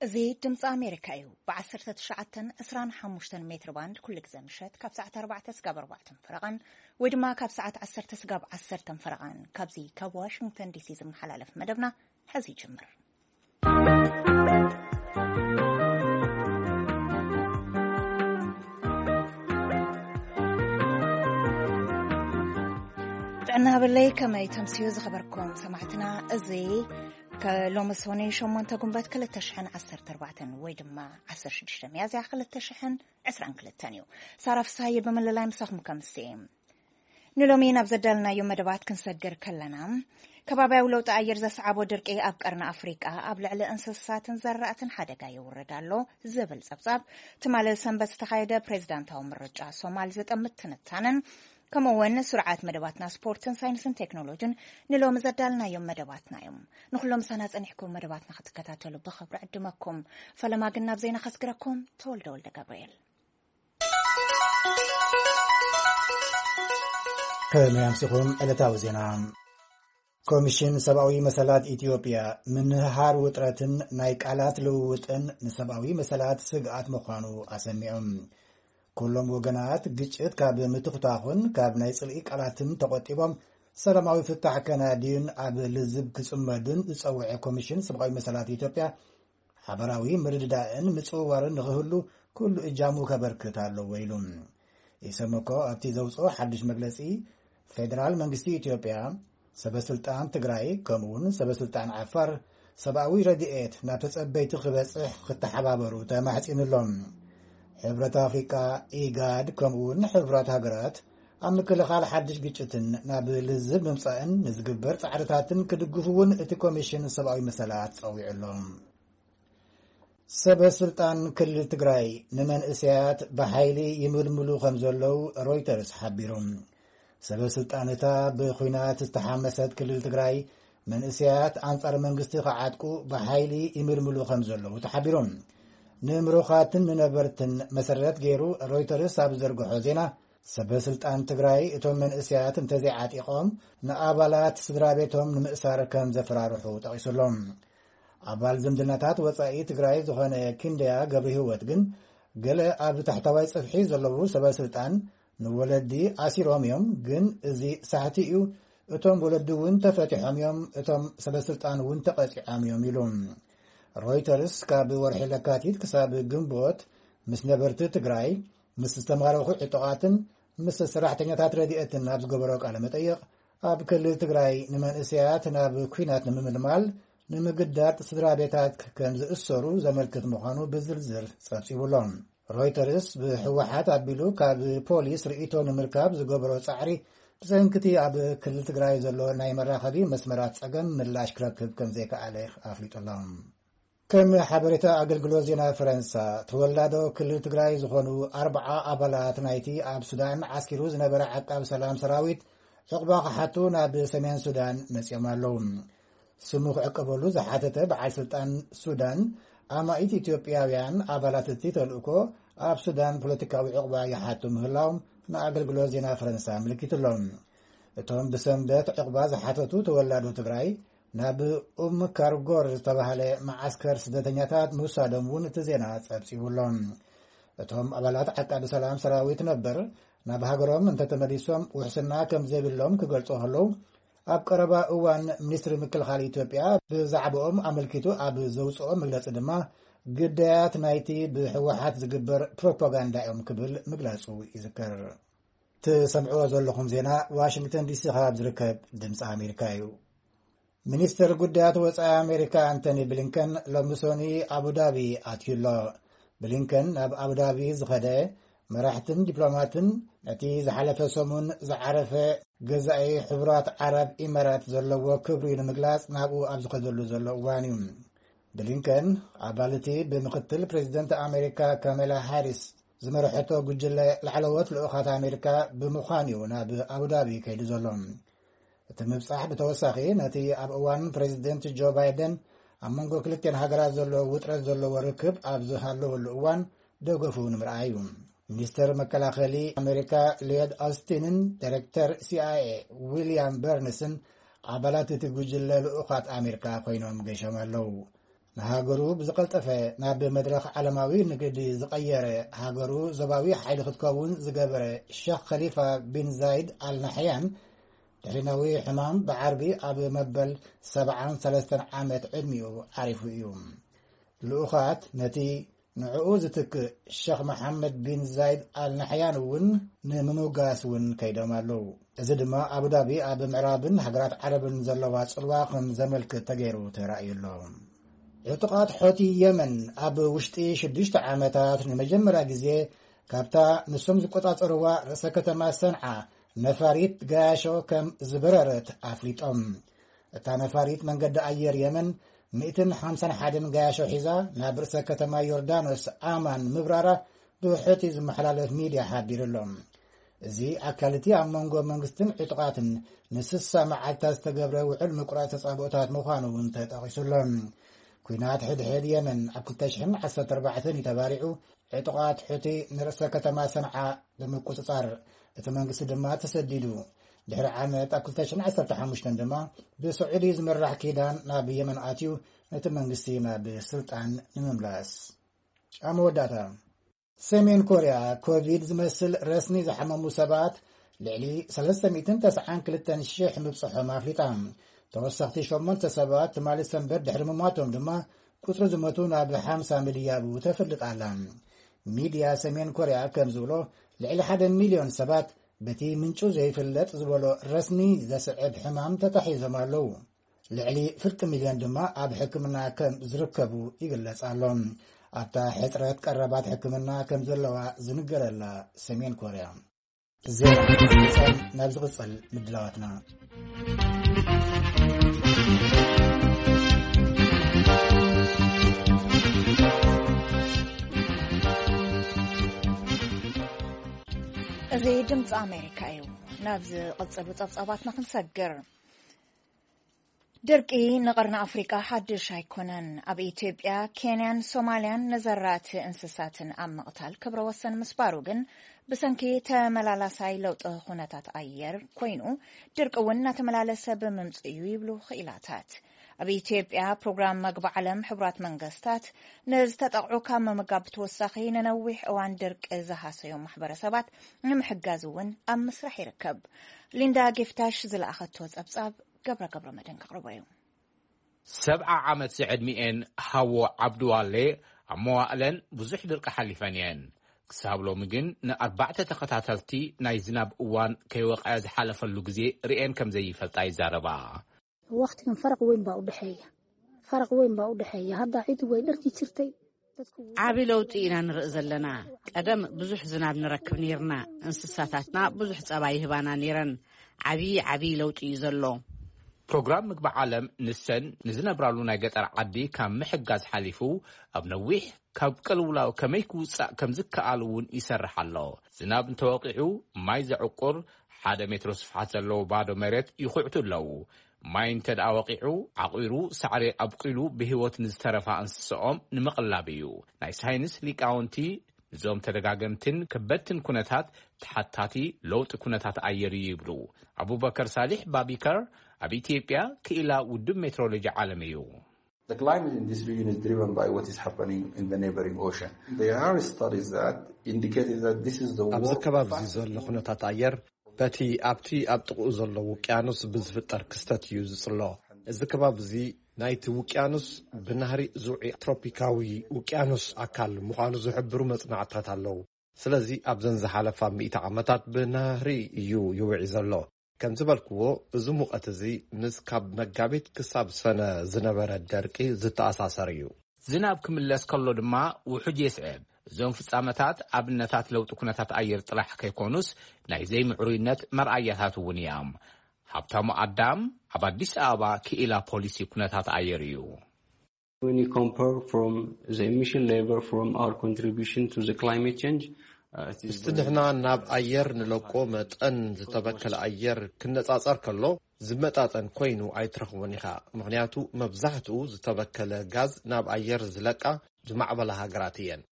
እዚ ድምፂ ኣሜሪካ እዩ። ብ19፣ 25 ሜትር ባንድ ኩሉ ግዜ ምሸት ካብ ሰዓት 4 ስጋብ 4 ፈረቓን፣ ወይ ድማ ካብ ሰዓት 10 ስጋብ 10 ፈረቓን፣ ካብዚ ካብ ዋሽንግተን ዲሲ ዝመሓላለፍ መደብና ሕዚ ይጅምር። ጥዕና ሃበለይ፣ ከመይ ተምስዩ ዝኸበርኩም ሰማዕትና? እዚ ከ-፣ ሎሚ ሶኒ 8 ጉንበት 2014 ወይ ድማ 16 ሚያዝያ 2022 እዩ። ሳራ ፍስሃየ ብምልላይ ምሳኹም ከምሲ። ንሎሚ ናብ ዘዳልናዮ መደባት ክንሰግር ከለና፣ ከባብያዊ ለውጢ ኣየር ዘስዓቦ ድርቂ ኣብ ቀርኒ ኣፍሪቃ ኣብ ልዕሊ እንስሳትን ዘራእትን ሓደጋ የውርድ ኣሎ ዝብል ጸብጻብ፣ ትማሊ ሰንበት ዝተኻየደ ፕሬዝዳንታዊ ምርጫ ሶማል ዝጥምት ትንታነን፣ ከምኡ እውን ስርዓት መደባትና ስፖርትን ሳይንስን ቴክኖሎጂን ንሎሚ ዘዳልናዮም መደባትና እዮም። ንኹሎም ምሳና ጸኒሕኩም መደባትና ክትከታተሉ ብኽብሪ ዕድመኩም። ፈለማ ግን ናብ ዜና ከስግረኩም። ተወልደ ወልደ ገብርኤል። ከመይ ኣምሲኹም? ዕለታዊ ዜና። ኮሚሽን ሰብኣዊ መሰላት ኢትዮጵያ፣ ምንህሃር ውጥረትን ናይ ቃላት ልውውጥን ንሰብኣዊ መሰላት ስግኣት ምዃኑ ኣሰሚዖም። ኩሎም ወገናት ግጭት ካብ ምትኹታኹን ካብ ናይ ጽልኢ ቃላትን ተቖጢቦም ሰላማዊ ፍታሕ ከናድዩን ኣብ ልዝብ ክጽመዱን ዝጸውዐ ኮሚሽን ሰብኣዊ መሰላት ኢትዮጵያ፣ ሓበራዊ ምርድዳእን ምጽውዋርን ንኽህሉ ኩሉ እጃሙ ከበርክት ኣለዎ ኢሉ። ኢሰመኮ ኣብቲ ዘውጽኦ ሓድሽ መግለጺ፣ ፌደራል መንግስቲ ኢትዮጵያ፣ ሰበ ስልጣን ትግራይ፣ ከምኡውን ሰበ ስልጣን ዓፋር ሰብኣዊ ረድኤት ናብ ተጸበይቲ ክበጽሕ ክተሓባበሩ ተማሕጺኑ ኣሎ። ሕብረት ኣፍሪቃ፣ ኢጋድ፣ ከምኡውን ሕቡራት ሃገራት ኣብ ምክልኻል ሓድሽ ግጭትን ናብ ልዝብ ምምጻእን ንዝግበር ጻዕርታትን ክድግፉ እውን እቲ ኮሚሽን ሰብኣዊ መሰላት ጸዊዑ ኣሎ። ሰበ ስልጣን ክልል ትግራይ ንመንእሰያት ብሓይሊ ይምልምሉ ከም ዘለዉ ሮይተርስ ሓቢሩ። ሰበ ስልጣን እታ ብኹናት ዝተሓመሰት ክልል ትግራይ፣ መንእሰያት ኣንጻር መንግስቲ ክዓጥቁ ብሓይሊ ይምልምሉ ከም ዘለዉ ተሓቢሩ። ንምሩኻትን ንነበርትን መሰረት ገይሩ ሮይተርስ ኣብ ዝዘርግሖ ዜና፣ ሰበ ስልጣን ትግራይ እቶም መንእሰያት እንተዘይዓጢቖም ንኣባላት ስድራ ቤቶም ንምእሳር ከም ዘፈራርሑ ጠቒሱ ኣሎ። ኣባል ዝምድናታት ወጻኢ ትግራይ ዝኾነ ክንደያ ገብረ ህይወት ግን፣ ገለ ኣብ ታሕተዋይ ጽፍሒ ዘለዉ ሰበ ስልጣን ንወለዲ ኣሲሮም እዮም፣ ግን እዚ ሳሕቲ እዩ፣ እቶም ወለዲ እውን ተፈቲሖም እዮም፣ እቶም ሰበ ስልጣን እውን ተቐጺዖም እዮም ኢሉ። ሮይተርስ ካብ ወርሒ ለካቲት ክሳብ ግንቦት ምስ ነበርቲ ትግራይ፣ ምስ ዝተማረኹ ዕጡቓትን ምስ ሰራሕተኛታት ረድኤትን ኣብ ዝገበሮ ቃለ መጠይቕ፣ ኣብ ክልል ትግራይ ንመንእሰያት ናብ ኲናት ንምምልማል ንምግዳድ ስድራ ቤታት ከም ዝእሰሩ ዘመልክት ምዃኑ ብዝርዝር ጸብጺቡ ኣሎ። ሮይተርስ ብህወሓት ኣቢሉ ካብ ፖሊስ ርእይቶ ንምርካብ ዝገበሮ ጻዕሪ፣ ብሰንክቲ ኣብ ክልል ትግራይ ዘሎ ናይ መራኸቢ መስመራት ጸገም ምላሽ ክረክብ ከም ዘይከኣለ ኣፍሊጡ ኣሎ። ከም ሓበሬታ ኣገልግሎት ዜና ፈረንሳ፣ ተወላዶ ክልል ትግራይ ዝኾኑ ኣርብዓ ኣባላት ናይቲ ኣብ ሱዳን ዓስኪሩ ዝነበረ ዓቃብ ሰላም ሰራዊት ዕቑባ ክሓቱ ናብ ሰሜን ሱዳን መጺኦም ኣለዉ። ስሙ ክዕቀበሉ ዝሓተተ በዓል ስልጣን ሱዳን፣ ኣማኢት ኢትዮጵያውያን ኣባላት እቲ ተልእኮ ኣብ ሱዳን ፖለቲካዊ ዕቑባ ይሓቱ ምህላዎም ንኣገልግሎት ዜና ፈረንሳ ኣመልኪቱ ኣሎ። እቶም ብሰንበት ዕቑባ ዝሓተቱ ተወላዶ ትግራይ፣ ናብ ኡም ካርጎር ዝተባህለ መዓስከር ስደተኛታት ምውሳዶም እውን እቲ ዜና ጸብጺቡ ኣሎ። እቶም ኣባላት ዓቃቢ ሰላም ሰራዊት ነበር ናብ ሃገሮም እንተተመሊሶም ውሕስና ከም ዘይብሎም ክገልጹ ከለዉ፣ ኣብ ቀረባ እዋን ሚኒስትሪ ምክልኻል ኢትዮጵያ ብዛዕባኦም ኣመልኪቱ ኣብ ዘውጽኦ መግለጺ ድማ፣ ግዳያት ናይቲ ብህወሓት ዝግበር ፕሮፓጋንዳ እዮም ክብል ምግላጹ ይዝከር። ትሰምዕዎ ዘለኹም ዜና ዋሽንግተን ዲሲ ካብ ዝርከብ ድምፂ ኣሜሪካ እዩ። ሚኒስትር ጉዳያት ወፃኢ ኣሜሪካ ኣንቶኒ ብሊንከን ሎሚ ሶኒ ኣቡዳቢ ኣትዩ ኣሎ። ብሊንከን ናብ ኣቡዳቢ ዝኸደ፣ መራሕትን ዲፕሎማትን ነቲ ዝሓለፈ ሰሙን ዝዓረፈ ገዛኢ ሕቡራት ዓረብ ኢማራት ዘለዎ ክብሪ ንምግላጽ ናብኡ ኣብ ዝኸደሉ ዘሎ እዋን እዩ። ብሊንከን ኣባል እቲ ብምክትል ፕሬዚደንት ኣሜሪካ ካሜላ ሃሪስ ዝመርሐቶ ጉጅለ ላዕለዎት ልኡኻት ኣሜሪካ ብምዃን እዩ ናብ ኣቡዳቢ ከይዱ ዘሎ። እቲ ምብጻሕ ብተወሳኺ ነቲ ኣብ እዋን ፕሬዚደንት ጆ ባይደን ኣብ መንጎ ክልቲኣን ሃገራት ዘሎ ውጥረት ዘለዎ ርክብ ኣብ ዝሃለወሉ እዋን ደገፉ ንምርኣይ እዩ። ሚኒስተር መከላኸሊ ኣሜሪካ ሊዮድ ኦስቲንን ዳይሬክተር ሲኣይኤ ዊልያም በርንስን ኣባላት እቲ ጉጅለ ልኡኻት ኣሜሪካ ኮይኖም ገይሾም ኣለዉ። ሃገሩ ብዝቐልጠፈ ናብ መድረኽ ዓለማዊ ንግዲ ዝቐየረ፣ ሃገሩ ዞባዊ ሓይሊ ክትከውን ዝገበረ ሸኽ ኸሊፋ ቢን ዛይድ ኣልናሕያን፣ ድሕሪ ነዊሕ ሕማም ብዓርቢ ኣብ መበል ሰብዓን ሰለስተን ዓመት ዕድሚኡ ዓሪፉ እዩ። ልኡኻት ነቲ ንዕኡ ዝትክእ ሸኽ መሓመድ ቢን ዛይድ ኣልናሕያን እውን ንምምጋስ እውን ከይዶም ኣለዉ። እዚ ድማ ኣቡዳቢ ኣብ ምዕራብን ሃገራት ዓረብን ዘለዋ ጽልዋ ከም ዘመልክት ተገይሩ ተራእዩ ኣሎ። ዕጡቓት ሖቲ የመን ኣብ ውሽጢ ሽዱሽተ ዓመታት ንመጀመርያ ግዜ ካብታ ንሶም ዝቆጻጸርዋ ርእሰ ከተማ ሰንዓ ነፋሪት ገያሾ ከም ዝበረረት ኣፍሊጦም። እታ ነፋሪት መንገዲ ኣየር የመን ሚእትን ሓምሳን ሓደን ገያሾ ሒዛ ናብ ርእሰ ከተማ ዮርዳኖስ ኣማን ምብራራ ብሑቲ ዝመሓላለፍ ሚድያ ሓቢሩ ኣሎ። እዚ ኣካል እቲ ኣብ መንጎ መንግስትን ዕጡቓትን ንስሳ መዓልታት ዝተገብረ ውዕል ምቁራጽ ተጻብኦታት ምዃኑ እውን ተጠቒሱ ኣሎ። ኲናት ሕድሕድ የመን ኣብ ክልተ ሽሕን ዓሰርተ ኣርባዕተን እዩ ተባሪዑ። ዕጡቓት ሑቲ ንርእሰ ከተማ ሰንዓ ብምቁጽጻር፣ እቲ መንግስቲ ድማ ተሰዲዱ። ድሕሪ ዓመት ኣብ ክልተ ሽሕን ዓሰርተ ሓሙሽተን ድማ ብስዑዲ ዝምራሕ ኪዳን ናብ የመን ኣትዩ፣ ነቲ መንግስቲ ናብ ስልጣን ንምምላስ። ኣብ መወዳእታ፣ ሰሜን ኮርያ ኮቪድ ዝመስል ረስኒ ዝሓመሙ ሰባት ልዕሊ ሰለስተ ሚእትን ተስዓን ክልተን ሽሕ ምብጽሖም ኣፍሊጣ። ተወሰኽቲ ሸሞንተ ሰባት ትማሊ ሰንበት ድሕሪ ምሟቶም ድማ ቁጽሪ ዝሞቱ ናብ ሓምሳ ምድያቡ ተፍልጥ ኣላ። ሚድያ ሰሜን ኮርያ ከም ዝብሎ፣ ልዕሊ ሓደ ሚልዮን ሰባት በቲ ምንጩ ዘይፍለጥ ዝበሎ ረስኒ ዘስዕብ ሕማም ተታሒዞም ኣለዉ። ልዕሊ ፍርቂ ሚልዮን ድማ ኣብ ሕክምና ከም ዝርከቡ ይግለጽ ኣሎ። ኣብታ ሕጽረት ቀረባት ሕክምና ከም ዘለዋ ዝንገረላ ሰሜን ኮርያ። ዜና ናብ ዝቕጽል ምድላዋትና። እዚ ድምፂ ኣሜሪካ እዩ። ናብ ዝቕጽሉ ጸብጻባትና ክንሰግር። ድርቂ ንቐርኒ ኣፍሪቃ ሓድሽ ኣይኮነን። ኣብ ኢትዮጵያ፣ ኬንያን ሶማልያን ንዘራእቲ እንስሳትን ኣብ ምቕታል ክብረ ወሰን ምስባሩ ግን ብሰንኪ ተመላላሳይ ለውጢ ኩነታት ኣየር ኮይኑ፣ ድርቂ እውን እናተመላለሰ ብምምጽኡ እዩ ይብሉ ክኢላታት። ኣብ ኢትዮጵያ፣ ፕሮግራም መግቢ ዓለም ሕቡራት መንግስታት ንዝተጠቕዑ ካብ ምምጋብ ብተወሳኺ ንነዊሕ እዋን ድርቂ ዝሃሰዮም ማሕበረሰባት ንምሕጋዝ እውን ኣብ ምስራሕ ይርከብ። ሊንዳ ጊፍታሽ ዝለኣኸቶ ጸብጻብ ገብረ ገብረ መድህን ከቕርቦ እዩ። ሰብዓ ዓመት ዝዕድሚኤን ሃዎ ዓብዱዋሌ ኣብ መዋእለን ብዙሕ ድርቂ ሓሊፈን እየን። ክሳብ ሎሚ ግን ንኣርባዕተ ተኸታተልቲ ናይ ዝናብ እዋን ከይወቕዐ ዝሓለፈሉ ግዜ ርእየን ከም ዘይፈልጣ ይዛረባ። Waqtigan faraq weyn baa u dhexeeya. Faraq weyn baa u dhexeeya. Hadda cid way dharki jirtay. ዓቢ ለውጢ ኢና ንርኢ ዘለና። ቀደም ብዙሕ ዝናብ ንረክብ ነይርና። እንስሳታትና ብዙሕ ጸባ ይህባና ነይረን። ዓቢ ዓቢ ለውጢ እዩ ዘሎ። ፕሮግራም ምግቢ ዓለም ንሰን ንዝነብራሉ ናይ ገጠር ዓዲ ካብ ምሕጋዝ ሓሊፉ ኣብ ነዊሕ ካብ ቅልውላው ከመይ ክውጻእ ከም ዝከኣል እውን ይሰርሕ ኣሎ። ዝናብ እንተወቂዑ ማይ ዘዕቁር ሓደ ሜትሮ ስፍሓት ዘለዎ ባዶ መሬት ይኹዕቱ ኣለዉ። ማይ እንተ ደኣ ወቂዑ ዓቑሩ ሳዕሪ ኣብቂሉ ብህይወት ንዝተረፋ እንስሳኦም ንምቕላብ እዩ። ናይ ሳይንስ ሊቃውንቲ ንዞም ተደጋገምትን ከበድትን ኩነታት ተሓታቲ ለውጢ ኩነታት ኣየር እዩ ይብሉ። ኣቡበከር ሳሊሕ ባቢከር ኣብ ኢትዮጵያ ክኢላ ውድብ ሜትሮሎጂ ዓለም እዩ። The climate in this region is driven by what is happening in the neighboring ocean. There are studies that indicated that this is the ኣብዚ world ከባቢ እዚ ዘሎ ኩነታት ኣየር በቲ ኣብቲ ኣብ ጥቕኡ ዘሎ ውቅያኖስ ብዝፍጠር ክስተት እዩ ዝጽሎ። እዚ ከባቢ እዚ ናይቲ ውቅያኖስ ብናህሪ ዝውዒ ትሮፒካዊ ውቅያኖስ ኣካል ምዃኑ ዝሕብሩ መጽናዕትታት ኣለዉ። ስለዚ ኣብዘን ዝሓለፋ ሚእቲ ዓመታት ብናህሪ እዩ ይውዒ ዘሎ። ከም ዝበልክዎ እዚ ሙቐት እዚ ምስ ካብ መጋቢት ክሳብ ሰነ ዝነበረ ደርቂ ዝተኣሳሰር እዩ። ዝናብ ክምለስ ከሎ ድማ ውሑጅ የስዕብ። እዞም ፍጻመታት ኣብነታት ለውጢ ኩነታት ኣየር ጥራሕ ከይኮኑስ ናይ ዘይምዕሩይነት መርኣያታት እውን እዮም። ሃብታሙ ኣዳም ኣብ ኣዲስ ኣበባ ክኢላ ፖሊሲ ኩነታት ኣየር እዩ። When you compare from the emission level from our contribution to the climate change, uh, it is ምስቲ ንሕና ናብ ኣየር ንለቆ መጠን ዝተበከለ ኣየር ክነጻጸር ከሎ ዝመጣጠን ኮይኑ ኣይትረኽቦን ኢኻ። ምኽንያቱ መብዛሕትኡ ዝተበከለ ጋዝ ናብ ኣየር ዝለቃ ዝማዕበላ ሃገራት እየን።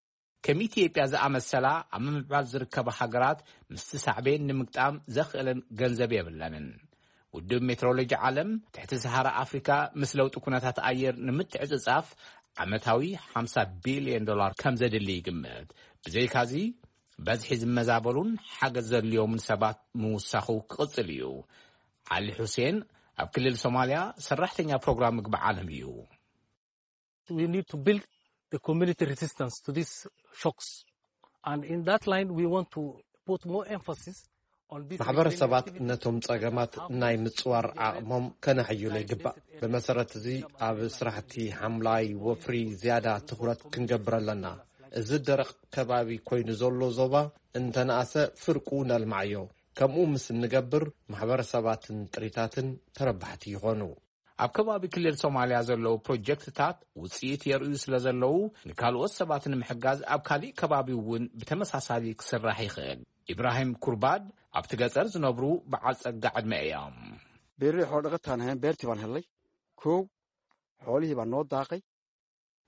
ከም ኢትዮጵያ ዝኣመሰላ ኣብ ምምዕባል ዝርከባ ሃገራት ምስቲ ሳዕቤን ንምግጣም ዘኽእለን ገንዘብ የብለንን። ውድብ ሜትሮሎጂ ዓለም ትሕቲ ሰሃራ ኣፍሪካ ምስ ለውጢ ኩነታት ኣየር ንምትዕጽጻፍ ዓመታዊ ሓምሳ ቢልዮን ዶላር ከም ዘድሊ ይግምት። ብዘይካዚ፣ በዝሒ ዝመዛበሉን ሓገዝ ዘድልዮምን ሰባት ምውሳኹ ክቕጽል እዩ። ዓሊ ሑሴን ኣብ ክልል ሶማልያ ሰራሕተኛ ፕሮግራም ምግቢ ዓለም እዩ። We need to build the community resistance to these shocks. And in that line, we want to put more emphasis on this. ማሕበረሰባት ነቶም ጸገማት ናይ ምጽዋር ዓቕሞም ከነሕይሎ ይግባእ። ብመሰረት እዚ፣ ኣብ ስራሕቲ ሓምላይ ወፍሪ ዝያዳ ትኹረት ክንገብር ኣለና። እዚ ደረቕ ከባቢ ኮይኑ ዘሎ ዞባ እንተነኣሰ፣ ፍርቁ ነልማዓዮ። ከምኡ ምስ እንገብር፣ ማሕበረሰባትን ጥሪታትን ተረባሕቲ ይኾኑ። ኣብ ከባቢ ክልል ሶማልያ ዘለዉ ፕሮጀክትታት ውጽኢት የርእዩ ስለ ዘለዉ፣ ንካልኦት ሰባት ንምሕጋዝ ኣብ ካሊእ ከባቢ እውን ብተመሳሳሊ ክስራሕ ይኽእል። ኢብራሂም ኩርባድ ኣብቲ ገጠር ዝነብሩ በዓል ጸጋ ዕድመ እዮም። Beerri xoolo dhaqataan ahayn, beertii baan helnay. Kow, xoolihii baa noo daaqay.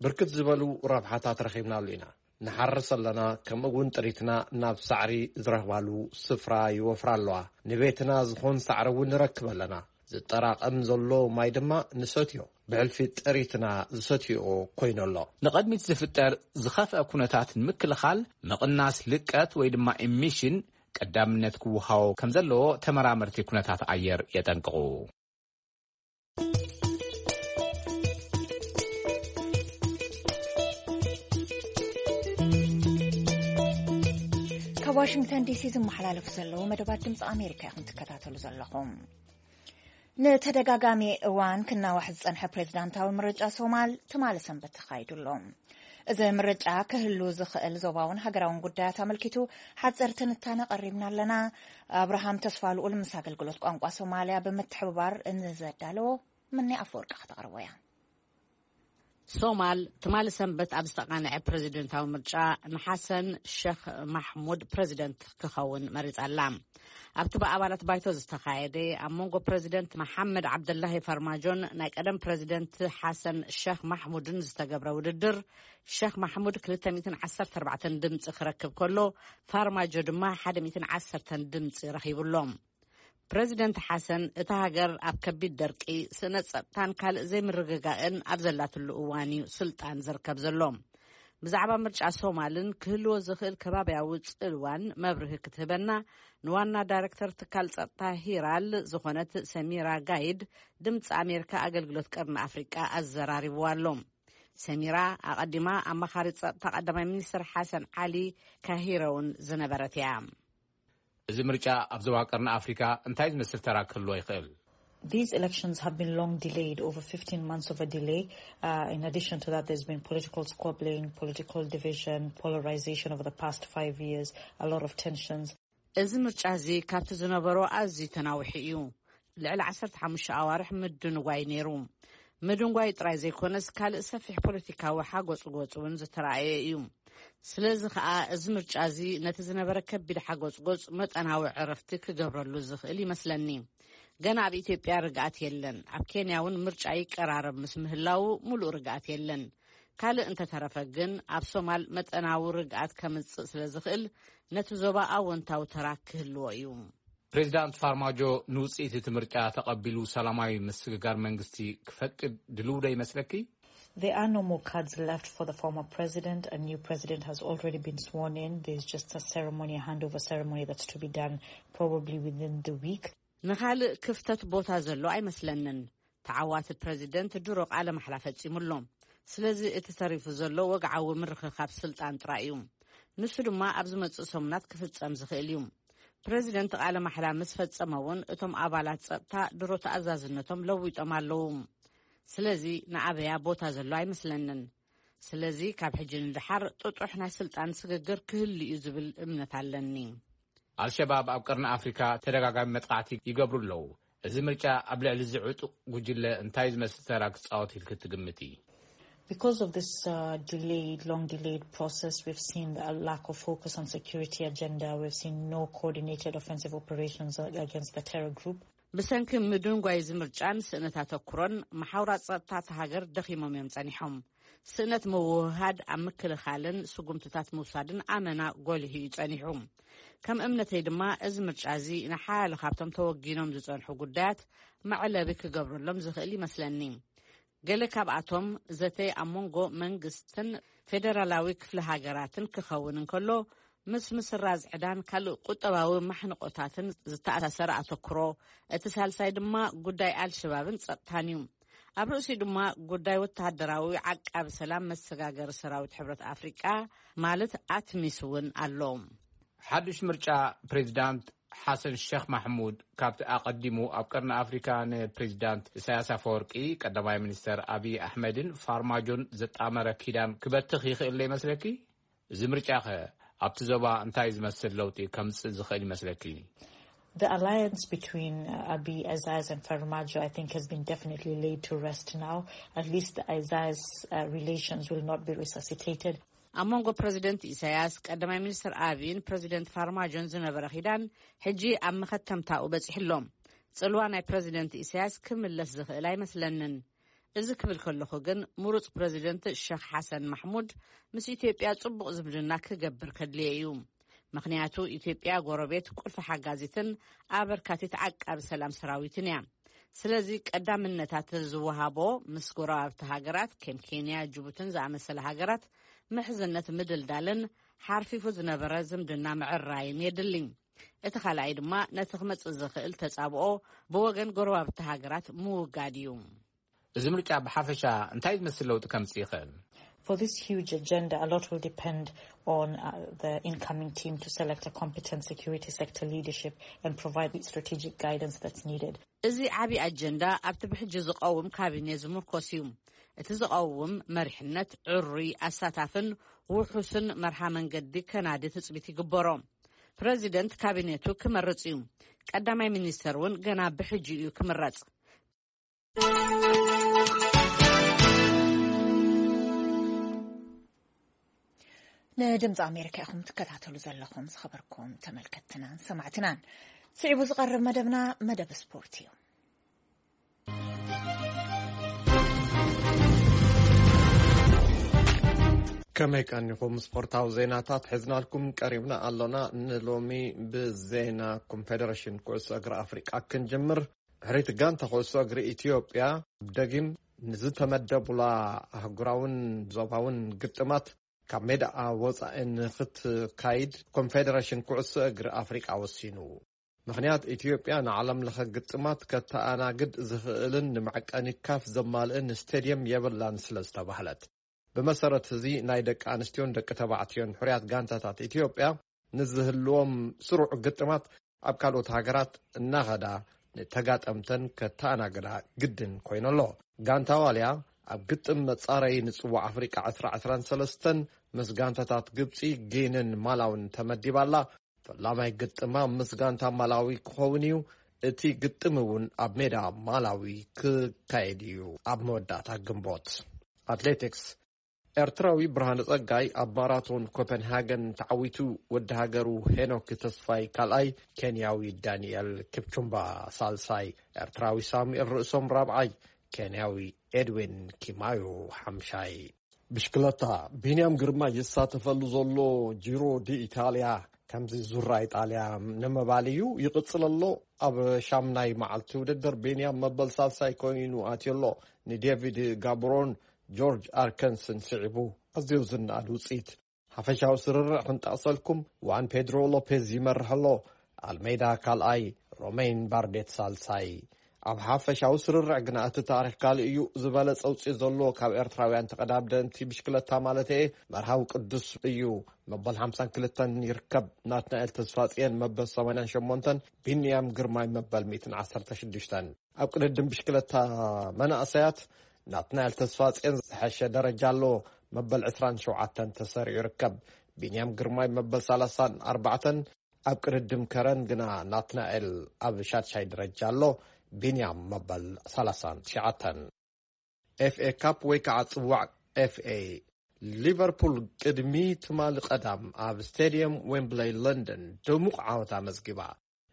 ብርክት ዝበሉ ረብሓታት ረኺብናሉ ኢና። ንሓርስ ኣለና፣ ከምኡ እውን ጥሪትና ናብ ሳዕሪ ዝረኽባሉ ስፍራ ይወፍራ ኣለዋ። ንቤትና ዝኾን ሳዕሪ እውን ንረክብ ኣለና። ዝጠራቐም ዘሎ ማይ ድማ ንሰትዮ። ብሕልፊ ጥሪትና ዝሰትዮ ኮይኑ ኣሎ። ንቐድሚት ዝፍጠር ዝኸፍአ ኩነታት ንምክልኻል፣ ምቕናስ ልቀት ወይ ድማ ኢሚሽን ቀዳምነት ክወሃቦ ከም ዘለዎ ተመራመርቲ ኩነታት ኣየር የጠንቅቑ። ካብ ዋሽንግተን ዲሲ ዝመሓላለፉ ዘለዉ መደባት ድምፂ ኣሜሪካ ኢኹም ትከታተሉ ዘለኹም። ንተደጋጋሚ እዋን ክናዋሕ ዝጸንሐ ፕሬዝዳንታዊ ምርጫ ሶማል ትማሊ ሰንበት ተኻይዱ ኣሎ። እዚ ምርጫ ክህሉ ዝኽእል ዞባውን ሃገራውን ጉዳያት ኣመልኪቱ ሓጺር ትንታነ ቀሪብና ኣለና። ኣብርሃም ተስፋ ልኡል ምስ ኣገልግሎት ቋንቋ ሶማልያ ብምትሕብባር ንዘዳለዎ ምኒ ኣፈወርቂ ከተቕርቦ እያ። ሶማል ትማሊ ሰንበት ኣብ ዝተቓንዐ ፕረዚደንታዊ ምርጫ ንሓሰን ሸኽ ማሕሙድ ፕረዚደንት ክኸውን መሪጻ ኣላ። ኣብቲ ብኣባላት ባይቶ ዝተኻየደ ኣብ መንጎ ፕረዚደንት መሓመድ ዓብደላሂ ፋርማጆን ናይ ቀደም ፕረዚደንት ሓሰን ሸኽ ማሕሙድን ዝተገብረ ውድድር፣ ሸኽ ማሕሙድ ክልተ ሚእትን ዓሰርተ ኣርባዕተን ድምጺ ክረክብ ከሎ፣ ፋርማጆ ድማ ሓደ ሚእትን ዓሰርተን ድምጺ ረኺቡ ኣሎ። ፕረዚደንት ሓሰን፣ እታ ሃገር ኣብ ከቢድ ደርቂ፣ ስእነት ጸጥታን ካልእ ዘይምርግጋእን ኣብ ዘላትሉ እዋን እዩ ስልጣን ዝርከብ ዘሎ። ብዛዕባ ምርጫ ሶማልን ክህልዎ ዝኽእል ከባብያዊ ጽልዋን መብርሂ ክትህበና፣ ንዋና ዳይረክተር ትካል ጸጥታ ሂራል ዝኾነት ሰሚራ ጋይድ፣ ድምጺ ኣሜሪካ ኣገልግሎት ቀርኒ ኣፍሪቃ ኣዘራሪብዋ ኣሎ። ሰሚራ፣ ኣቐዲማ ኣማኻሪት ጸጥታ ቀዳማይ ሚኒስትር ሓሰን ዓሊ ካሂረ እውን ዝነበረት እያ። እዚ ምርጫ ኣብ ዞባ ቀርኒ ኣፍሪካ እንታይ ዝመስል ተራ ክህልዎ ይኽእል? These elections have been long delayed, over fifteen months of a delay. Uh, in addition to that, there's been political squabbling, political division, polarization over the past five years, a lot of tensions. እዚ ምርጫ እዚ ካብቲ ዝነበሮ ኣዝዩ ተናዊሑ እዩ። ልዕሊ ዓሰርተ ሓሙሽተ ኣዋርሕ ምድንጓይ ነይሩ። ምድንጓይ ጥራይ ዘይኮነስ፣ ካልእ ሰፊሕ ፖለቲካዊ ሓጎጽጎጽ እውን ዝተራእየ እዩ። ስለዚ ከኣ፣ እዚ ምርጫ እዚ ነቲ ዝነበረ ከቢድ ሓጎጽጎጽ መጠናዊ ዕረፍቲ ክገብረሉ ዝኽእል ይመስለኒ። ገና ኣብ ኢትዮጵያ ርግኣት የለን። ኣብ ኬንያ እውን ምርጫ ይቀራረብ ምስ ምህላዉ፣ ምሉእ ርግኣት የለን። ካልእ እንተተረፈ ግን፣ ኣብ ሶማል መጠናዊ ርግኣት ከምጽእ ስለ ዝኽእል፣ ነቲ ዞባ ኣወንታዊ ተራ ክህልዎ እዩ። ፕሬዚዳንት ፋርማጆ ንውጽኢት እቲ ምርጫ ተቐቢሉ ሰላማዊ ምስግጋር መንግስቲ ክፈቅድ ድልው ዶ ይመስለኪ? There are no more cards left for the former president. A new president has already been sworn in. There's just a ceremony, a handover ceremony that's to be done probably within the week. ንኻልእ ክፍተት ቦታ ዘሎ ኣይመስለንን። ተዓዋቲ ፕረዚደንት ድሮ ቃለ ማሕላ ፈጺሙ ኣሎ። ስለዚ እቲ ተሪፉ ዘሎ ወግዓዊ ምርኽኻብ ስልጣን ጥራይ እዩ። ንሱ ድማ ኣብ ዝመጽእ ሰሙናት ክፍጸም ዝኽእል እዩ። ፕረዚደንት ቃለ ማሕላ ምስ ፈጸመ እውን፣ እቶም ኣባላት ጸጥታ ድሮ ተኣዛዝነቶም ለዊጦም ኣለዉ። ስለዚ ንኣበያ ቦታ ዘሎ ኣይመስለንን። ስለዚ ካብ ሕጂ ንደሓር ጥጡሕ ናይ ስልጣን ስግግር ክህሉ እዩ ዝብል እምነት ኣለኒ። ኣልሸባብ ኣብ ቀርኒ ኣፍሪካ ተደጋጋሚ መጥቃዕቲ ይገብሩ ኣለዉ። እዚ ምርጫ ኣብ ልዕሊ እዚ ዕጡቕ ጉጅለ እንታይ ዝመስል ተራ ክጻወት ኢልኪ ትግምቲ? Because of this uh, delayed, long delayed process, we've seen a lack of focus on security agenda. We've seen no coordinated offensive operations against the terror group. ብሰንኪ ምድንጓይ እዚ ምርጫን ስእነት ኣተኩሮን፣ መሓውራት ጸጥታ እታ ሃገር ደኺሞም እዮም ጸኒሖም። ስእነት ምውህሃድ ኣብ ምክልኻልን ስጉምትታት ምውሳድን ኣመና ጎሊሁ እዩ ጸኒሑ። ከም እምነተይ ድማ፣ እዚ ምርጫ እዚ ንሓያሎ ካብቶም ተወጊኖም ዝጸንሑ ጉዳያት መዕለቢ ክገብረሎም ዝኽእል ይመስለኒ። ገለ ካብኣቶም ዘተ ኣብ መንጎ መንግስትን ፌደራላዊ ክፍለ ሃገራትን ክኸውን እንከሎ፣ ምስ ምስራዝ ዕዳን ካልእ ቁጠባዊ ማሕንቆታትን ዝተኣሳሰረ ኣተኩሮ፣ እቲ ሳልሳይ ድማ ጉዳይ ኣልሸባብን ጸጥታን እዩ። ኣብ ርእሲኡ ድማ ጉዳይ ወተሃደራዊ ዓቃቢ ሰላም መሰጋገሪ ሰራዊት ሕብረት ኣፍሪቃ፣ ማለት ኣትሚስ እውን ኣሎ። ሓድሽ ምርጫ ፕሬዚዳንት ሓሰን ሸኽ ማሕሙድ፣ ካብቲ ኣቐዲሙ ኣብ ቀርኒ ኣፍሪካ ንፕሬዚዳንት ኢሳያስ ኣፈወርቂ፣ ቀዳማይ ሚኒስተር ኣብይ ኣሕመድን ፋርማጆን ዘጣመረ ኪዳን ክበትኽ ይኽእል ዶ ይመስለኪ? እዚ ምርጫኸ ኣብቲ ዞባ እንታይ ዝመስል ለውጢ ከምጽእ ዝኽእል ይመስለኪ? The alliance between uh, Abiy, Azaz, and Farmajo, I think, has been definitely laid to rest now. At least Azaz's uh, relations will not be resuscitated. ኣብ መንጎ ፕረዚደንት ኢሳያስ፣ ቀዳማይ ሚኒስትር ኣብይን ፕረዚደንት ፋርማጆን ዝነበረ ኺዳን፣ ሕጂ ኣብ መኸተምታኡ በጺሑ ኣሎ። ጽልዋ ናይ ፕረዚደንት ኢሳያስ ክምለስ ዝኽእል ኣይመስለንን። እዚ ክብል ከለኹ ግን፣ ምሩጽ ፕረዚደንት ሸኽ ሓሰን ማሕሙድ ምስ ኢትዮጵያ ጽቡቕ ዝምድና ክገብር ከድልዮ እዩ። ምኽንያቱ፣ ኢትዮጵያ ጎረቤት፣ ቁልፊ ሓጋዚትን ኣበርካቲት ዓቃቢ ሰላም ሰራዊትን እያ። ስለዚ፣ ቀዳምነታት ዝወሃቦ ምስ ጎረባብቲ ሃገራት ከም ኬንያ፣ ጅቡትን ዝኣመሰለ ሃገራት ምሕዝነት ምድልዳልን ሓርፊፉ ዝነበረ ዝምድና ምዕራይን የድሊ። እቲ ካልኣይ ድማ ነቲ ክመጽእ ዝኽእል ተጻብኦ ብወገን ጎረባብቲ ሃገራት ምውጋድ እዩ። እዚ ምርጫ ብሓፈሻ እንታይ ዝመስል ለውጢ ከምጽእ ይኽእል? For this huge agenda, a lot will depend on uh, the incoming team to select a competent security sector leadership and provide the strategic guidance that's needed. እዚ ዓቢ ኣጀንዳ ኣብቲ ብሕጂ ዝቐውም ካቢኔ ዝምርኮስ እዩ። እቲ ዝቐውም መሪሕነት ዕሩይ፣ ኣሳታፍን ውሑስን መርሃ መንገዲ ከናዲ ትጽቢት ይግበሮ። ፕረዚደንት ካቢኔቱ ክመርጽ እዩ። ቀዳማይ ሚኒስተር እውን ገና ብሕጂ እዩ ክምረጽ። ንድምፂ ኣሜሪካ ኢኹም ትከታተሉ ዘለኹም ዝኸበርኩም ተመልከትትናን ሰማዕትናን። ስዒቡ ዝቐርብ መደብና መደብ ስፖርት እዩ። ከመይ ቀኒኹም? ስፖርታዊ ዜናታት ሒዝናልኩም ቀሪብና ኣሎና። ንሎሚ ብዜና ኮንፌደሬሽን ኩዕሶ እግሪ ኣፍሪቃ ክንጅምር። ሕሪት ጋንታ ኩዕሶ እግሪ ኢትዮጵያ ደጊም ንዝተመደቡላ ኣህጉራውን ዞባውን ግጥማት ካብ ሜዳኣ ወጻኢ ንኽትካይድ ኮንፌደሬሽን ኩዕሶ እግሪ ኣፍሪቃ ወሲኑ። ምኽንያት፣ ኢትዮጵያ ንዓለም ለኸ ግጥማት ከተኣናግድ ዝኽእልን ንመዐቀኒ ካፍ ዘማልእን ስቴድየም የብላን ስለ ዝተባህለት። ብመሰረት እዚ፣ ናይ ደቂ ኣንስትዮን ደቂ ተባዕትዮን ሕሩያት ጋንታታት ኢትዮጵያ ንዝህልዎም ስሩዕ ግጥማት ኣብ ካልኦት ሃገራት እናኸዳ ንተጋጠምተን ከተኣናግዳ ግድን ኮይነሎ። ጋንታ ዋልያ ኣብ ግጥም መጻረዪ ንጽዋዕ ኣፍሪቃ ዕስራ ዕስራን ሰለስተን ምስ ጋንታታት ግብጺ፣ ጊንን ማላውን ተመዲባላ። ፈላማይ ግጥማ ምስ ጋንታ ማላዊ ክኸውን እዩ። እቲ ግጥም እውን ኣብ ሜዳ ማላዊ ክካየድ እዩ። ኣብ መወዳእታ ግንቦት። ኣትሌቲክስ። ኤርትራዊ ብርሃነ ጸጋይ ኣብ ማራቶን ኮፐንሃገን ተዓዊቱ። ወዲ ሃገሩ ሄኖክ ተስፋይ ካልኣይ፣ ኬንያዊ ዳንኤል ኪፕቹምባ ሳልሳይ፣ ኤርትራዊ ሳሙኤል ርእሶም ራብዓይ፣ ኬንያዊ ኤድዊን ኪማዮ ሓምሻይ። ብሽክለታ። ቢንያም ግርማ ይሳተፈሉ ዘሎ ጂሮ ዲ ኢታልያ ከምዚ ዙራ ኢጣልያ ንምባል እዩ። ይቕጽል ኣሎ። ኣብ ሻምናይ መዓልቲ ውድድር ቢንያም መበል ሳልሳይ ኮይኑ ኣትዩ ኣሎ። ንዴቪድ ጋብሮን ጆርጅ ኣርከንስን ስዒቡ ኣዝዩ ዝነኣድ ውጽኢት። ሓፈሻዊ ስርርዕ ክንጠቕሰልኩም፣ ዋን ፔድሮ ሎፔዝ ይመርሕ ኣሎ፣ ኣልሜዳ ካልኣይ፣ ሮሜን ባርዴት ሳልሳይ። ኣብ ሓፈሻዊ ስርርዕ ግና እቲ ታሪኽ ካልእ እዩ። ዝበለጸ ውጽኢት ዘለዎ ካብ ኤርትራውያን ተቐዳደምቲ ብሽክለታ ማለት እየ፣ መርሃዊ ቅዱስ እዩ፣ መበል ሓምሳን ክልተን ይርከብ። ናትናኤል ተስፋጽየን መበል ሰማንያን ሸሞንተን፣ ቢንያም ግርማይ መበል ሚእትን ዓሰርተ ሽዱሽተን። ኣብ ቅድድም ብሽክለታ መናእሰያት ናትናኤል ተስፋጽየን ዝሐሸ ደረጃ ኣለዎ፣ መበል ዕስራን ሸውዓተን ተሰሪዑ ይርከብ። ቢንያም ግርማይ መበል ሰላሳን ኣርባዕተን፣ ኣብ ቅድድም ከረን ግና ናትናኤል ኣብ ሻድሻይ ደረጃ ኣሎ፣ ቢንያም መበል ሰላሳን ትሽዓተን። ኤፍኤ ካፕ ወይ ከዓ ጽዋዕ ኤፍኤ። ሊቨርፑል ቅድሚ ትማሊ ቀዳም ኣብ ስቴድየም ዌምብለይ ለንደን ድሙቕ ዓወት ኣመዝጊባ።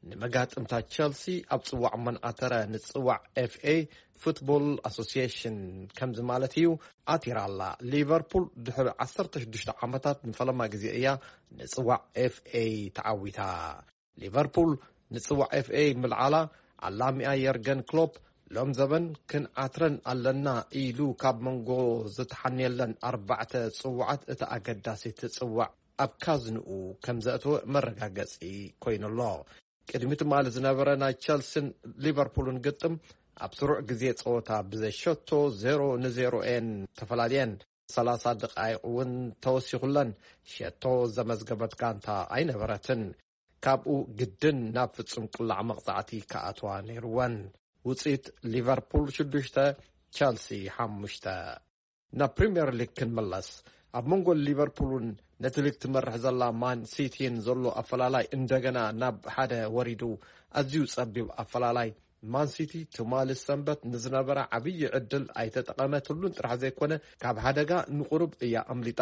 ንመጋጥምታ ቸልሲ ኣብ ጽዋዕ መንዓተረ ንጽዋዕ ኤፍኤ ፉትቦል ኣሶሲዬሽን ከምዚ ማለት እዩ ኣቲራ ኣላ። ሊቨርፑል ድሕሪ ዓሰርተ ሽዱሽተ ዓመታት ንፈለማ ግዜ እያ ንጽዋዕ ኤፍኤ ተዓዊታ። ሊቨርፑል ንጽዋዕ ኤፍኤ ምልዓላ ኣላሚኣ የርገን ክሎፕ ሎም ዘበን ክንዓትረን ኣለና ኢሉ ካብ መንጎ ዝተሓንየለን ኣርባዕተ ጽዋዓት እቲ ኣገዳሲ ትጽዋዕ ኣብ ካዝንኡ ከም ዘእተወ መረጋገጺ ኮይኑ ኣሎ። ቅድሚ ትማሊ ዝነበረ ናይ ቸልሲን ሊቨርፑልን ግጥም ኣብ ስሩዕ ግዜ ጸወታ ብዘይ ሸቶ ዜሮ ንዜሮ እየን ተፈላልየን። ሰላሳ ደቓይቕ እውን ተወሲኹለን ሸቶ ዘመዝገበት ጋንታ ኣይነበረትን። ካብኡ ግድን ናብ ፍጹም ቅላዕ መቕጻዕቲ ክኣትዋ ነይርወን። ውጽኢት ሊቨርፑል ሽዱሽተ፣ ቸልሲ ሓሙሽተ። ናብ ፕሪምየር ሊግ ክንመለስ፣ ኣብ መንጎ ሊቨርፑልን ነቲ ሊግ ትመርሕ ዘላ ማን ሲቲን ዘሎ ኣፈላላይ እንደገና ናብ ሓደ ወሪዱ። ኣዝዩ ጸቢብ ኣፈላላይ። ማን ሲቲ ትማሊ ሰንበት ንዝነበራ ዓብዪ ዕድል ኣይተጠቐመትሉን ጥራሕ ዘይኮነ፣ ካብ ሓደጋ ንቑሩብ እያ ኣምሊጣ።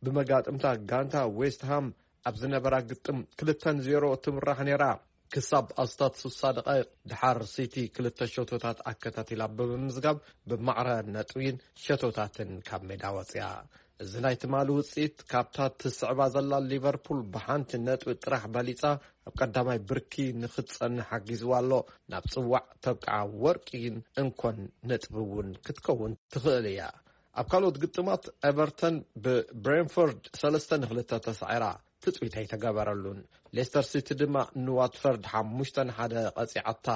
ብመጋጥምታ ጋንታ ዌስት ሃም ኣብ ዝነበራ ግጥም ክልተ ንዜሮ ትምራሕ ነይራ። ክሳብ ኣስታት ስሳ ደቓይቕ ድሓር ሲቲ ክልተ ሸቶታት ኣከታቲላ ብምምዝጋብ ብማዕረ ነጥቢን ሸቶታትን ካብ ሜዳ ወፅያ። እዚ ናይ ትማሊ ውፅኢት ካብታ ትስዕባ ዘላ ሊቨርፑል ብሓንቲ ነጥቢ ጥራሕ በሊፃ ኣብ ቀዳማይ ብርኪ ንክትፀንሕ ሓጊዝዋ ኣሎ። ናብ ፅዋዕ ተብቅዓ ወርቂን እንኮን ነጥቢ እውን ክትከውን ትኽእል እያ። ኣብ ካልኦት ግጥማት ኤቨርተን ብብሬንፎርድ ሰለስተ ንክልተ ተሳዒራ። ትጽቢት ኣይተገበረሉን። ሌስተር ሲቲ ድማ ንዋትፈርድ ሓሙሽተ ንሓደ ቀጺዓታ።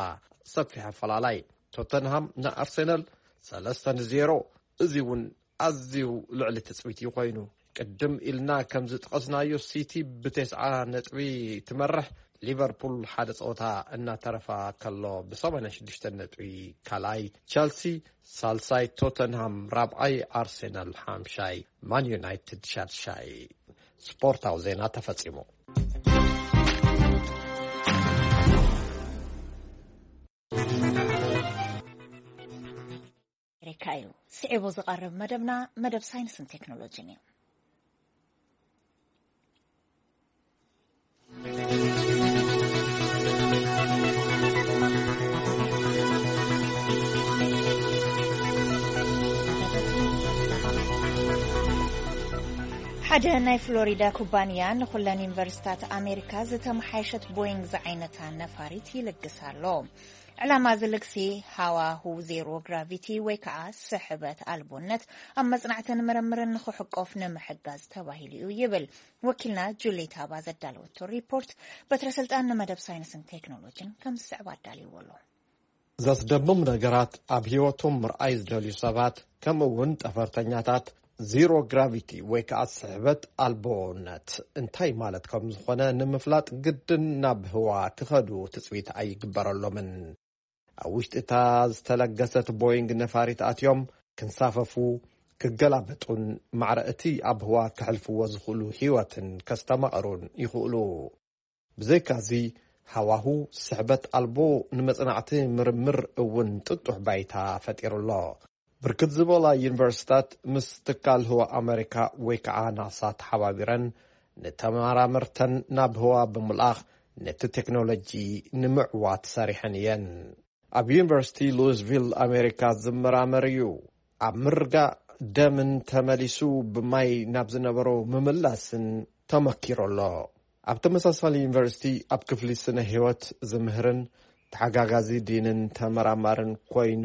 ሰፊሕ ኣፈላላይ። ቶተንሃም ንኣርሴናል ሰለስተ ንዜሮ። እዚ እውን ኣዝዩ ልዕሊ ትጽቢት እዩ ኮይኑ። ቅድም ኢልና ከም ዝጠቐስናዮ፣ ሲቲ ብተስዓ ነጥቢ ትመርሕ። ሊቨርፑል ሓደ ጸወታ እናተረፋ ከሎ ብሰማንያ ሽዱሽተ ነጥቢ ካልኣይ፣ ቸልሲ ሳልሳይ፣ ቶተንሃም ራብዓይ፣ ኣርሴናል ሓምሻይ፣ ማን ዩናይትድ ሻድሻይ። ስፖርታዊ ዜና ተፈጺሙ። ኣሜሪካ እዩ። ስዒቡ ዝቐርብ መደብና መደብ ሳይንስን ቴክኖሎጂን እዩ። ሓደ ናይ ፍሎሪዳ ኩባንያ ንኹለን ዩኒቨርሲታት ኣሜሪካ ዝተመሓየሸት ቦይንግ ዝዓይነታ ነፋሪት ይልግስ ኣሎ። ዕላማ እዚ ልግሲ ሃዋሁ ዜሮ ግራቪቲ ወይ ከዓ ስሕበት ኣልቦነት ኣብ መጽናዕትን ምርምርን ንኽሕቆፍ ንምሕጋዝ ተባሂሉ እዩ ይብል። ወኪልና ጁሌት ሃባ ዘዳለወቶ ሪፖርት በትረ ስልጣን ንመደብ ሳይንስን ቴክኖሎጂን ከም ዝስዕብ ኣዳልይዎ ኣሎ። ዘስደምም ነገራት ኣብ ህይወቶም ምርኣይ ዝደልዩ ሰባት፣ ከምኡ እውን ጠፈርተኛታት፣ ዚሮ ግራቪቲ ወይ ከዓ ስሕበት ኣልቦነት እንታይ ማለት ከም ዝኾነ ንምፍላጥ ግድን ናብ ህዋ ክኸዱ ትጽቢት ኣይግበረሎምን። ኣብ ውሽጢ እታ ዝተለገሰት ቦይንግ ነፋሪት ኣትዮም ክንሳፈፉ፣ ክገላበጡን ማዕረ እቲ ኣብ ህዋ ከሕልፍዎ ዝኽእሉ ህይወትን ከስተማቕሩን ይኽእሉ። ብዘይካዚ፣ ሃዋሁ ስሕበት ኣልቦ ንመጽናዕቲ ምርምር እውን ጥጡሕ ባይታ ፈጢሩ ኣሎ። ብርክት ዝበላ ዩኒቨርሲታት ምስ ትካል ህዋ ኣመሪካ ወይ ከዓ ናሳ ተሓባቢረን ንተመራመርተን ናብ ህዋ ብምልኣኽ ነቲ ቴክኖሎጂ ንምዕዋት ሰሪሐን እየን። ኣብ ዩኒቨርሲቲ ሉዊስቪል ኣሜሪካ ዝመራመር እዩ። ኣብ ምርጋእ ደምን ተመሊሱ ብማይ ናብ ዝነበሮ ምምላስን ተመኪሩ ኣሎ። ኣብ ተመሳሳሊ ዩኒቨርሲቲ ኣብ ክፍሊ ስነ ህይወት ዝምህርን ተሓጋጋዚ ዲንን ተመራማርን ኮይኑ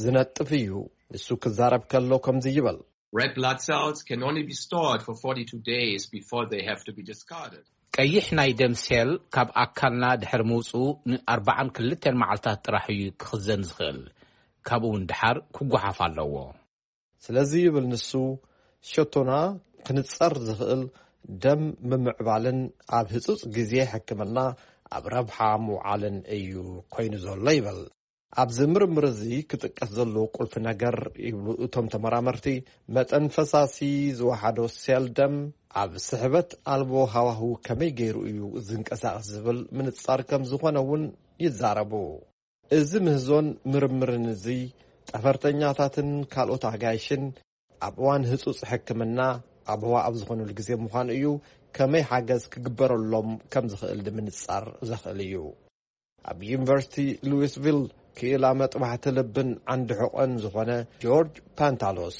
ዝነጥፍ እዩ። ንሱ ክዛረብ ከሎ ከምዚ ይብል። Red blood cells can only be stored for forty-two days before they have to be discarded. ቀይሕ ናይ ደም ሴል ካብ ኣካልና ድሕሪ ምውፅኡ ንኣርባዓን ክልተን መዓልታት ጥራሕ እዩ ክኽዘን ዝኽእል። ካብኡ እውን ድሓር ክጓሓፍ ኣለዎ። ስለዚ ይብል ንሱ፣ ሸቶና ክንጸር ዝኽእል ደም ምምዕባልን ኣብ ህጹጽ ግዜ ሕክምና ኣብ ረብሓ ምውዓልን እዩ ኮይኑ ዘሎ ይብል። ኣብዚ ምርምር እዚ ክጥቀስ ዘለዎ ቁልፊ ነገር ይብሉ እቶም ተመራመርቲ፣ መጠን ፈሳሲ ዝወሓዶ ሴል ደም ኣብ ስሕበት ኣልቦ ሃዋህው ከመይ ገይሩ እዩ ዝንቀሳቐስ ዝብል ምንጻር ከም ዝኾነ እውን ይዛረቡ። እዚ ምህዞን ምርምርን እዚ ጠፈርተኛታትን ካልኦት ኣጋይሽን ኣብ እዋን ህጹጽ ሕክምና ኣብ ህዋ ኣብ ዝኾኑሉ ግዜ ምዃኑ እዩ፣ ከመይ ሓገዝ ክግበረሎም ከም ዝኽእል ንምንጻር ዘኽእል እዩ። ኣብ ዩኒቨርሲቲ ሉዊስቪል ክኢላ መጥባሕቲ ልብን ዓንዲ ሕቖን ዝኾነ ጆርጅ ፓንታሎስ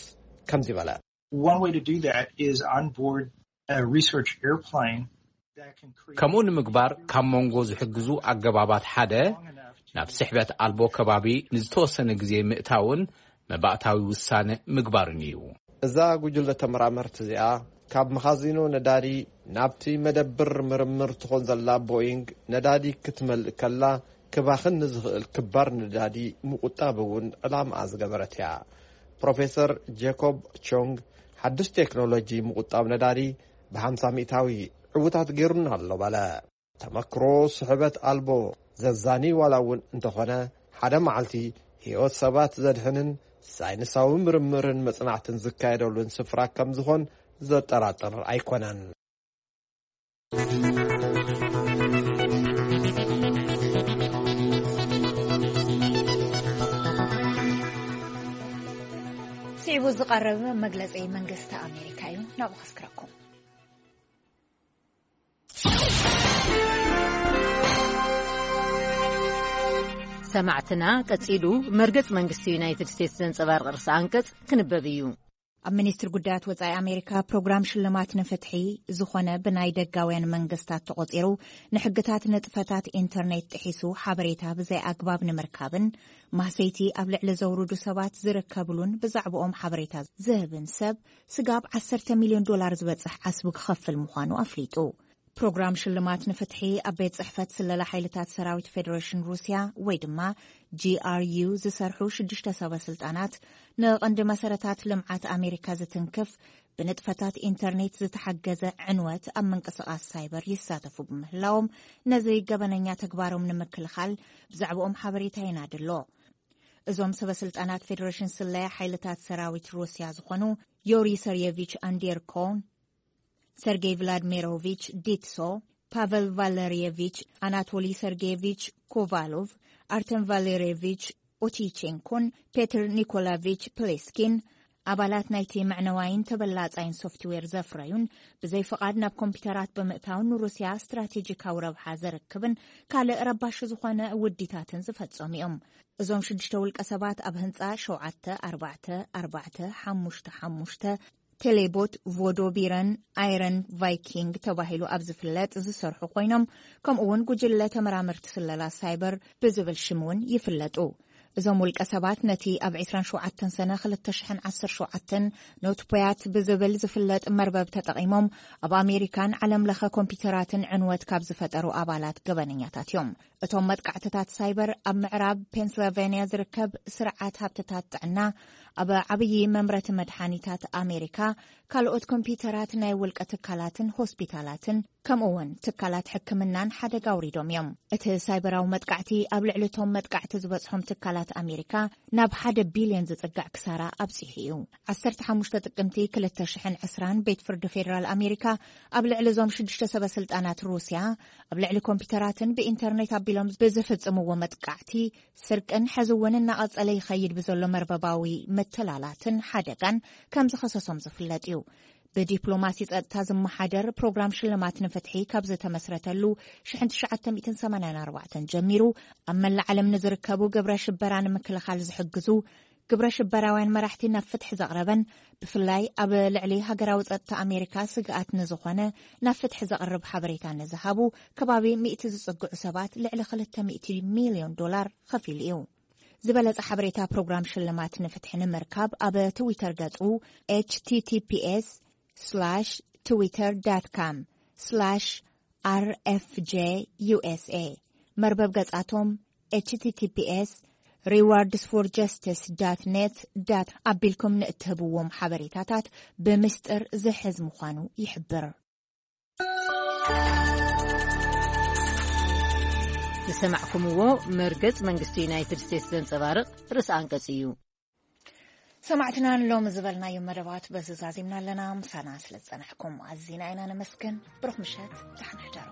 ከምዚ በለ። One way to do that is on board a research airplane that can create ከምኡ ንምግባር ካብ መንጎ ዝሕግዙ ኣገባባት ሓደ፣ ናብ ስሕበት ኣልቦ ከባቢ ንዝተወሰነ ግዜ ምእታውን መባእታዊ ውሳነ ምግባርን እዩ። እዛ ጉጅለ ተመራመርቲ እዚኣ ካብ መኻዚኖ ነዳዲ ናብቲ መደብር ምርምር ትኾን ዘላ ቦይንግ ነዳዲ ክትመልእ ከላ ክባኽን ንዝኽእል ክባር ነዳዲ ምቁጣብ እውን ዕላምኣ ዝገበረት እያ። ፕሮፌሰር ጄኮብ ቾንግ ሓድሽ ቴክኖሎጂ ምቁጣብ ነዳዲ ብ50 ሚእታዊ ዕውታት ገይሩና ኣሎ በለ። ተመክሮ ስሕበት ኣልቦ ዘዛኒ ዋላ እውን እንተኾነ፣ ሓደ መዓልቲ ህይወት ሰባት ዘድሕንን ሳይንሳዊ ምርምርን መጽናዕትን ዝካየደሉን ስፍራ ከም ዝኾን ዘጠራጥር ኣይኮነን። ስዒቡ ዝቐርብ መግለጺ መንግስቲ ኣሜሪካ እዩ፣ ናብኡ ከስክረኩም። ሰማዕትና፣ ቀጺሉ መርገጽ መንግስቲ ዩናይትድ ስቴትስ ዘንጸባርቕ ርእሰ ኣንቀጽ ክንበብ እዩ። ኣብ ሚኒስትሪ ጉዳያት ወጻኢ ኣሜሪካ ፕሮግራም ሽልማት ንፍትሒ ዝኾነ ብናይ ደጋውያን መንግስታት ተቖጺሩ ንሕግታት ንጥፈታት ኢንተርኔት ጥሒሱ ሓበሬታ ብዘይ ኣግባብ ንምርካብን ማህሰይቲ ኣብ ልዕሊ ዘውርዱ ሰባት ዝርከብሉን ብዛዕባኦም ሓበሬታ ዝህብን ሰብ ስጋብ 10 ሚልዮን ዶላር ዝበጽሕ ዓስቢ ክኸፍል ምዃኑ ኣፍሊጡ። ፕሮግራም ሽልማት ንፍትሒ ኣብ ቤት ጽሕፈት ስለላ ሓይልታት ሰራዊት ፌደሬሽን ሩስያ ወይ ድማ ጂ ኣር ዩ ዝሰርሑ ሽዱሽተ ሰበ ስልጣናት ንቐንዲ መሰረታት ልምዓት ኣሜሪካ ዝትንክፍ ብንጥፈታት ኢንተርኔት ዝተሓገዘ ዕንወት ኣብ ምንቅስቓስ ሳይበር ይሳተፉ ብምህላዎም ነዚ ገበነኛ ተግባሮም ንምክልኻል ብዛዕባኦም ሓበሬታ የናድሎ። እዞም ሰበ ስልጣናት ፌደሬሽን ስለያ ሓይልታት ሰራዊት ሩስያ ዝኾኑ ዮሪ ሰርየቪች ኣንዴርኮ፣ ሰርጌይ ቭላድሚሮቪች ዲትሶ፣ ፓቨል ቫለርየቪች፣ ኣናቶሊ ሰርጌየቪች ኮቫሎቭ፣ ኣርተም ቫለርየቪች ኦቲቼንኮን ፔትር ኒኮላቪች ፕሌስኪን ኣባላት ናይቲ መዕነዋይን ተበላጻይን ሶፍትዌር ዘፍረዩን ብዘይ ፍቓድ ናብ ኮምፒውተራት ብምእታውን ንሩስያ ስትራቴጂካዊ ረብሓ ዘርክብን ካልእ ረባሺ ዝኾነ ውዲታትን ዝፈጸሙ እዮም። እዞም ሽዱሽተ ውልቀ ሰባት ኣብ ህንጻ ሸውዓተ ኣርባዕተ ኣርባዕተ ሓሙሽተ ሓሙሽተ ቴሌቦት ቮዶቢረን ኣይረን ቫይኪንግ ተባሂሉ ኣብ ዝፍለጥ ዝሰርሑ ኮይኖም፣ ከምኡ እውን ጉጅለ ተመራመርቲ ስለላ ሳይበር ብዝብል ሽም እውን ይፍለጡ። እዞም ውልቀ ሰባት ነቲ ኣብ ዕስራን ሸውዓተን ሰነ ክልተ ሽሕን ዓሰርተ ሸውዓተን ኖትፖያት ብዝብል ዝፍለጥ መርበብ ተጠቒሞም ኣብ ኣሜሪካን ዓለም ለኸ ኮምፒውተራትን ዕንወት ካብ ዝፈጠሩ ኣባላት ገበነኛታት እዮም። እቶም መጥቃዕትታት ሳይበር ኣብ ምዕራብ ፔንስልቫንያ ዝርከብ ስርዓት ሃብትታት ጥዕና፣ ኣብ ዓብዪ መምረቲ መድሓኒታት ኣሜሪካ፣ ካልኦት ኮምፒውተራት ናይ ውልቀ ትካላትን ሆስፒታላትን ከምኡ እውን ትካላት ሕክምናን ሓደጋ ኣውሪዶም እዮም። እቲ ሳይበራዊ መጥቃዕቲ ኣብ ልዕሊ እቶም መጥቃዕቲ ዝበጽሖም ትካላት ኣሜሪካ ናብ ሓደ ቢልዮን ዝጽጋዕ ክሳራ ኣብጺሑ እዩ። ዓሰርተ ሓሙሽተ ጥቅምቲ ክልተ ሽሕን ዕስራን ቤት ፍርዲ ፌደራል ኣሜሪካ ኣብ ልዕሊ እዞም ሽዱሽተ ሰበ ስልጣናት ሩስያ ኣብ ልዕሊ ኮምፒውተራትን ብኢንተርኔት ኣቢሎም ብዝፍጽምዎ መጥቃዕቲ፣ ስርቅን ሕዚ እውን እናቐጸለ ይኸይድ ብዘሎ መርበባዊ ምትላላትን ሓደጋን ከም ዝኸሰሶም ዝፍለጥ እዩ። ብዲፕሎማሲ ጸጥታ ዝመሓደር ፕሮግራም ሽልማት ንፍትሒ ካብ ዝተመስረተሉ ሽሕን ትሽዓተ ሚእትን ሰማንያን ኣርባዕተን ጀሚሩ ኣብ መላእ ዓለም ንዝርከቡ ግብረ ሽበራ ንምክልኻል ዝሕግዙ ግብረ ሽበራውያን መራሕቲ ናብ ፍትሒ ዘቕረበን ብፍላይ ኣብ ልዕሊ ሃገራዊ ጸጥታ ኣሜሪካ ስግኣት ንዝኾነ ናብ ፍትሒ ዘቕርብ ሓበሬታ ንዝሃቡ ከባቢ ሚእቲ ዝጽግዑ ሰባት ልዕሊ ክልተ ሚእቲ ሚልዮን ዶላር ከፊሉ እዩ። ዝበለጸ ሓበሬታ ፕሮግራም ሽልማት ንፍትሒ ንምርካብ ኣብ ትዊተር ገጹ ኤች ቲ ቲ ፒ ኤስ ስላሽ ትዊተር ዳት ካም ስላሽ ኣር ኤፍ ጄ ዩ ኤስ ኤ፣ መርበብ ገጻቶም ኤች ቲ ቲ ፒ ኤስ ሪዋርድስ ፎር ጀስቲስ ዳት ኔት ዳት ኣቢልኩም ንእትህብዎም ሓበሬታታት ብምስጢር ዝሕዝ ምዃኑ ይሕብር። ዝሰማዕኩምዎ መርገጽ መንግስቲ ዩናይትድ ስቴትስ ዘንጸባርቕ ርእሰ ኣንቀጽ እዩ። ሰማዕትና ንሎሚ ዝበልናዮም መደባት በዚ ዛዚምና ኣለና። ምሳና ስለ ዝጸናሕኩም ኣዚና ኢና ነመስግን። ብሩኽ ምሸት፣ ደሓን ሕደሩ።